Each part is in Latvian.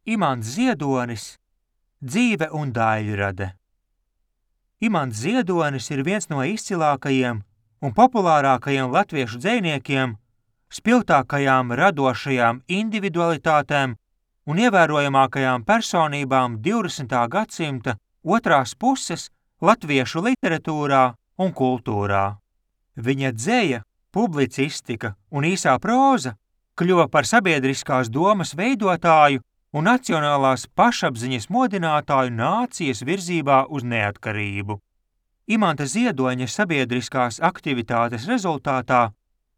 Imants Ziedonis – dzīve un daļrade. Imants Ziedonis ir viens no izcilākajiem un populārākajiem latviešu dzejniekiem, spilgtākajām radošajām individualitātēm un ievērojamākajām personībām 20. gadsimta otrās puses latviešu literatūrā un kultūrā. Viņa dzeja, publicistika un īsā próza kļuva par sabiedriskās domas veidotāju un nacionālās pašapziņas modinātāju nācijas virzībā uz neatkarību. Imanta Ziedoņa sabiedriskās aktivitātes rezultātā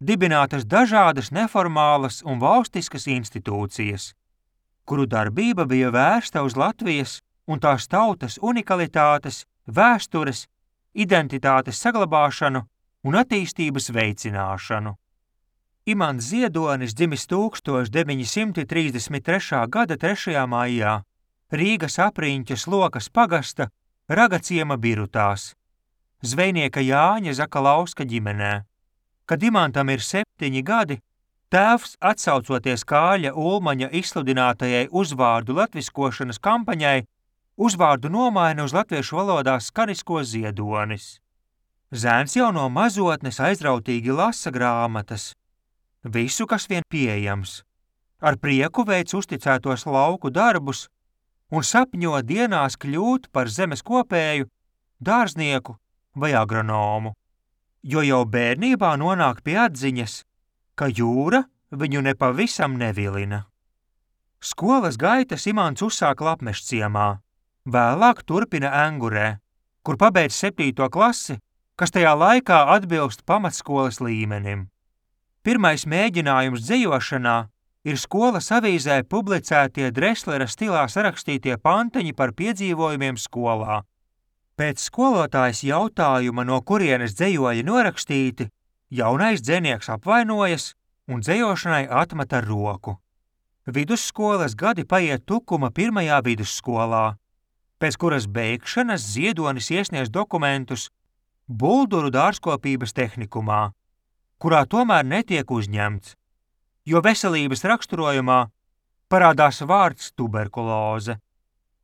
dibinātas dažādas neformālas un valstiskas institūcijas, kuru darbība bija vērsta uz Latvijas un tās tautas unikalitātes, vēstures, identitātes saglabāšanu un attīstības veicināšanu. Imants Ziedonis dzimis 1933. gada 3. maijā Rīgas Apriņķes Lokas pagasta Ragaciema Birutās, zvejnieka Jāņa Zakalauska ģimenē. Kad Imantam ir 7 gadi, tēvs, atsaucoties Kāļa Ulmaņa izsludinātajai uzvārdu latviskošanas kampaņai, uzvārdu nomaina uz latviešu valodā skanisko Ziedonis. Zēns jau no mazotnes aizrautīgi lasa grāmatas, visu, kas vien pieejams, ar prieku veic uzticētos lauku darbus un sapņo dienās kļūt par zemes kopēju, dārznieku vai agronomu, jo jau bērnībā nonāk pie atziņas, ka jūra viņu nepavisam nevilina. Skolas gaitas Imants uzsāk Lapmešciemā, vēlāk turpina Engurē, kur pabeidz 7. klasi, kas tajā laikā atbilst pamatskolas līmenim. Pirmais mēģinājums dzejošanā ir skolas avīzē publicētie Dreslera stilā sarakstītie panteņi par piedzīvojumiem skolā. Pēc skolotājas jautājuma, no kurienes dzejoļi norakstīti, jaunais dzejnieks apvainojas un dzejošanai atmet ar roku. Vidusskolas gadi paiet Tukuma 1. vidusskolā, pēc kuras beigšanas Ziedonis iesniedz dokumentus Bulduru dārzkopības tehnikumā, kurā tomēr netiek uzņemts, jo veselības raksturojumā parādās vārds tuberkuloze.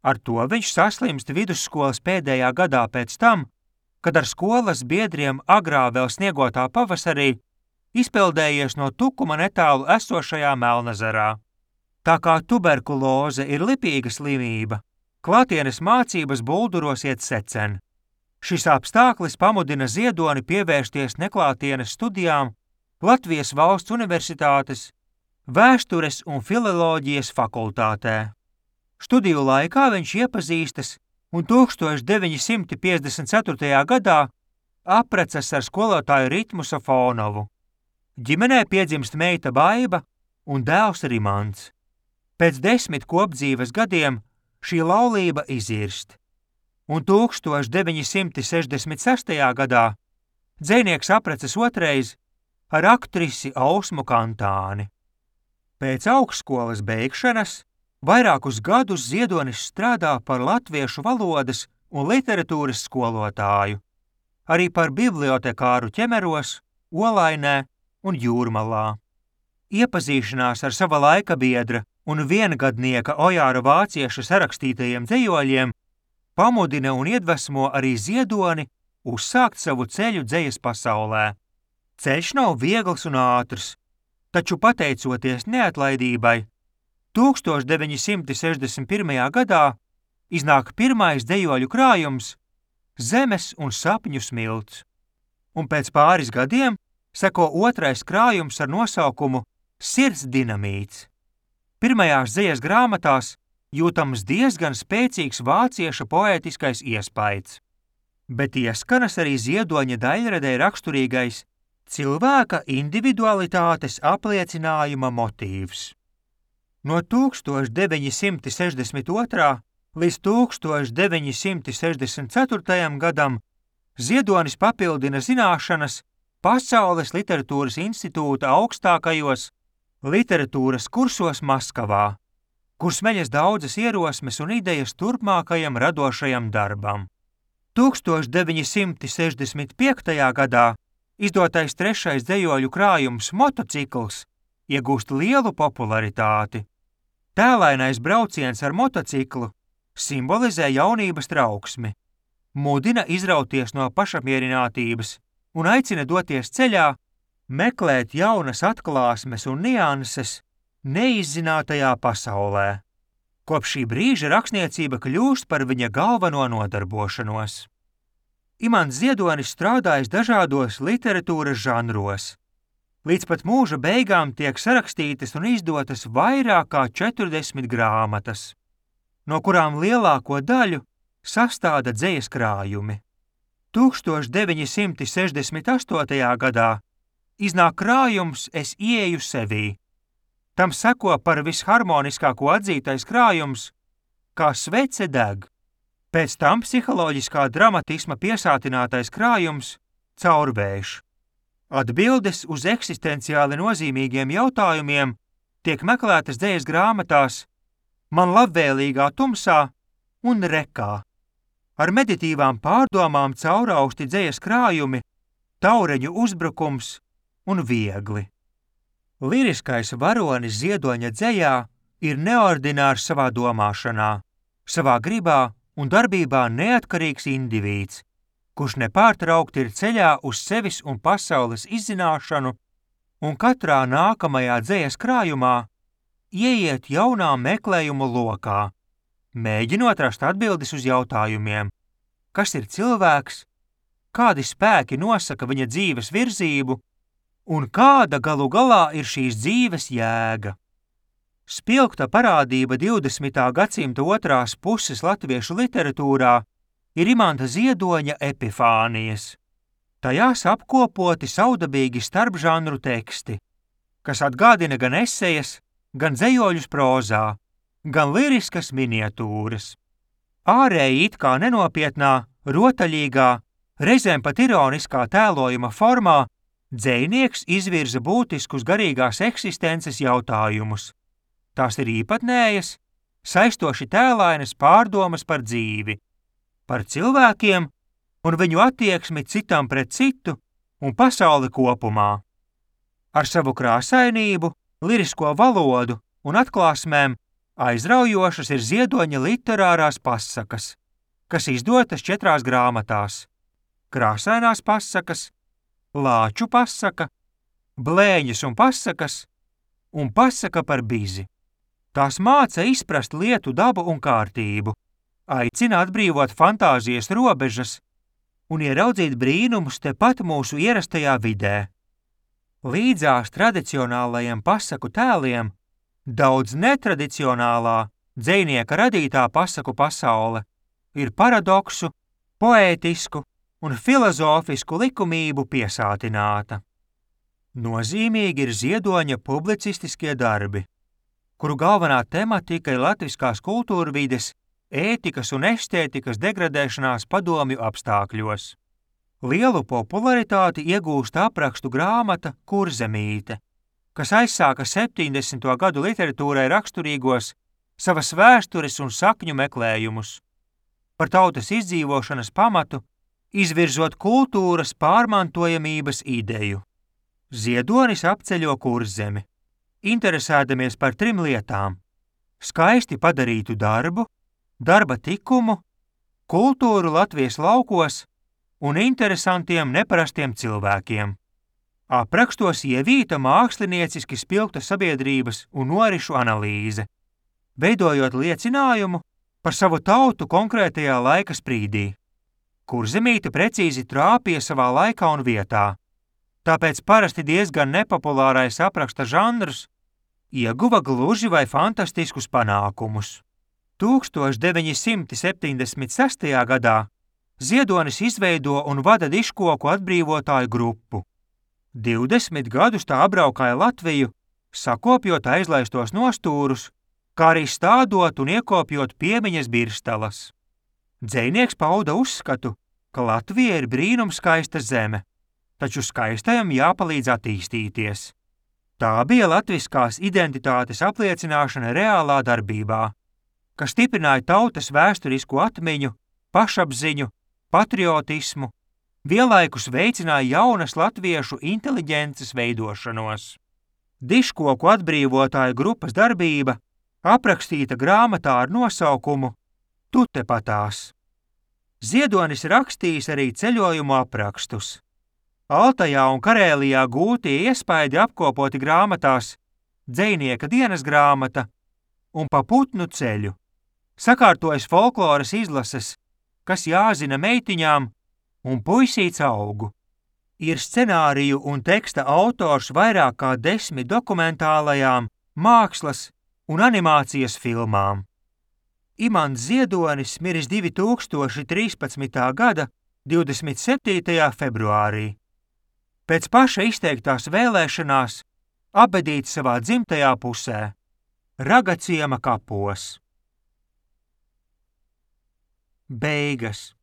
Ar to viņš saslimst vidusskolas pēdējā gadā pēc tam, kad ar skolas biedriem agrā vēl sniegotā pavasarī izpeldējies no Tukuma netālu esošajā Melnezerā. Tā kā tuberkuloze ir lipīga slimība, klātienes mācības Bulduros iet secen. Šis apstāklis pamudina Ziedoni pievērsties neklātienes studijām Latvijas Valsts Universitātes Vēstures un filoloģijas fakultātē. Studiju laikā viņš iepazīstas un 1954. gadā apprecas ar skolotāju Ritmu Safonovu. Ģimenē piedzimst meita Baiba un dēls Rimants. Pēc 10 kopdzīves gadiem šī laulība izirst, un 1966. gadā dzejnieks apprecas otrais ar aktrisi Ausmu Kantāni. Pēc augstskolas beigšanas vairākus gadus Ziedonis strādā par latviešu valodas un literatūras skolotāju, arī par bibliotekāru Ķemeros, Olainē un Jūrmalā. Iepazīšanās ar sava laika biedra un viengadnieka Ojāra Vācieša sarakstītajiem dzejoļiem pamudina un iedvesmo arī Ziedoni uzsākt savu ceļu dzejas pasaulē. Ceļš nav viegls un ātrs, taču pateicoties neatlaidībai, 1961. gadā iznāk pirmais dzejoļu krājums Zemes un sapņu smilts, un pēc pāris gadiem seko otrais krājums ar nosaukumu Sirds dinamīts. Pirmajās dzejas grāmatās jūtams diezgan spēcīgs vācieša poētiskais iespaids, bet ieskanas arī Ziedoņa daļradei raksturīgais cilvēka individualitātes apliecinājuma motīvs. No 1962. līdz 1964. gadam Ziedonis papildina zināšanas Pasaules literatūras institūta augstākajos literatūras kursos Maskavā, kur smeļas daudzas ierosmes un idejas turpmākajam radošajam darbam. 1965. gadā izdotais trešais dzejoļu krājums Motocikls iegūst lielu popularitāti. Tēlainais brauciens ar motociklu simbolizē jaunības trauksmi, mudina izrauties no pašapmierinātības un aicina doties ceļā, meklēt jaunas atklāsmes un nianses neizzinātajā pasaulē. Kopš šī brīža rakstniecība kļūst par viņa galveno nodarbošanos. Imants Ziedonis strādājis dažādos literatūras žanros. Līdz pat mūža beigām tiek sarakstītas un izdotas vairāk kā 40 grāmatas, no kurām lielāko daļu sastāda dzejas krājumi. 1968. gadā iznāk krājums Es ieeju sevī. Tam seko par visharmoniskāko atzītais krājums Kā svece deg. Pēc tam psiholoģiskā dramatisma piesātinātais krājums Caurvējš. Atbildes uz eksistenciāli nozīmīgiem jautājumiem tiek meklētas dzejas grāmatās Man labvēlīgā tumsā un Rekā. Ar meditīvām pārdomām caurausti dzejas krājumi Taureņu uzbrukums un Viegli. Liriskais varonis Ziedoņa dzejā ir neordinārs savā domāšanā, savā gribā un darbībā neatkarīgs indivīds, kurš nepārtraukti ir ceļā uz sevis un pasaules izzināšanu, un katrā nākamajā dzejas krājumā ieiet jaunā meklējumu lokā, mēģinot rast atbildes uz jautājumiem, kas ir cilvēks, kādi spēki nosaka viņa dzīves virzību un kāda galu galā ir šīs dzīves jēga. Spilgta parādība 20. gadsimta otrās puses latviešu literatūrā ir Imanta Ziedoņa epifānijas. Tajās apkopoti saudabīgi starpžanru teksti, kas atgādina gan esejas, gan dzejoļus prozā, gan liriskas miniatūras. Ārēji it kā nenopietnā, rotaļīgā, reizēm pat ironiskā tēlojuma formā dzejnieks izvirza būtiskus garīgās eksistences jautājumus. Tās ir īpatnējas, saistoši tēlainas pārdomas par dzīvi, par cilvēkiem un viņu attieksmi citam pret citu un pasauli kopumā. Ar savu krāsainību, lirisko valodu un atklāsmēm aizraujošas ir Ziedoņa literārās pasakas, kas izdotas 4 grāmatās – Krāsainās pasakas, Lāču pasaka, Blēņas un pasakas un Pasaka par bizi. Tās māca izprast lietu dabu un kārtību, aicina atbrīvot fantāzijas robežas un ieraudzīt brīnumus tepat mūsu ierastajā vidē. Līdzās tradicionālajiem pasaku tēliem daudz netradicionālā dzejnieka radītā pasaku pasaule ir paradoksu, poētisku un filozofisku likumību piesātināta. Nozīmīgi ir Ziedoņa publicistiskie darbi, kuru galvenā tematika ir latviskās kultūrvides, ētikas un estētikas degradēšanās padomju apstākļos. Lielu popularitāti iegūst aprakstu grāmata Kurzemīte, kas aizsāka 70. gadu literatūrai raksturīgos savas vēstures un sakņu meklējumus, par tautas izdzīvošanas pamatu, izvirzot kultūras pārmantojamības ideju. Ziedonis apceļo Kurzemi, interesēdamies par 3 lietām – skaisti padarītu darbu, darba tikumu, kultūru Latvijas laukos un interesantiem neparastiem cilvēkiem. Aprakstos ievīta mākslinieciski spilgta sabiedrības un norišu analīze, veidojot liecinājumu par savu tautu konkrētajā laika sprīdī. Kurzemīte precīzi trāpīja savā laikā un vietā, tāpēc parasti diezgan nepopulārais apraksta žanrs ieguva gluži vai fantastiskus panākumus. 1976. gadā Ziedonis izveido un vada diškoku atbrīvotāju grupu. 20 gadus tā apbraukāja Latviju, sakopjot aizlaistos nostūrus, kā arī stādot un iekopjot piemiņas birstalas. Dzejnieks pauda uzskatu, ka Latvija ir brīnumskaista zeme, taču skaistajam jāpalīdz attīstīties. Tā bija latviskās identitātes apliecināšana reālā darbībā, kas stiprināja tautas vēsturisko atmiņu, pašapziņu, patriotismu, vienlaikus veicināja jaunas latviešu inteliģences veidošanos. Diškoku atbrīvotāju grupas darbība aprakstīta grāmatā ar nosaukumu Tu tepatās. Ziedonis rakstījis arī ceļojumu aprakstus. Altajā un Karēlijā gūtie iespaidi apkopoti grāmatās Dzejnieka dienas grāmata un Pa putnu ceļu. Sakārtojas folkloras izlases, kas jāzina meitiņām un puisīts augu. Ir scenāriju un teksta autors vairāk kā 10 dokumentālajām, mākslas un animācijas filmām. Imants Ziedonis miris 2013. gada 27. februārī. Pēc paša izteiktās vēlēšanās apbedīts savā dzimtajā pusē, Ragaciema kapos. Beigas.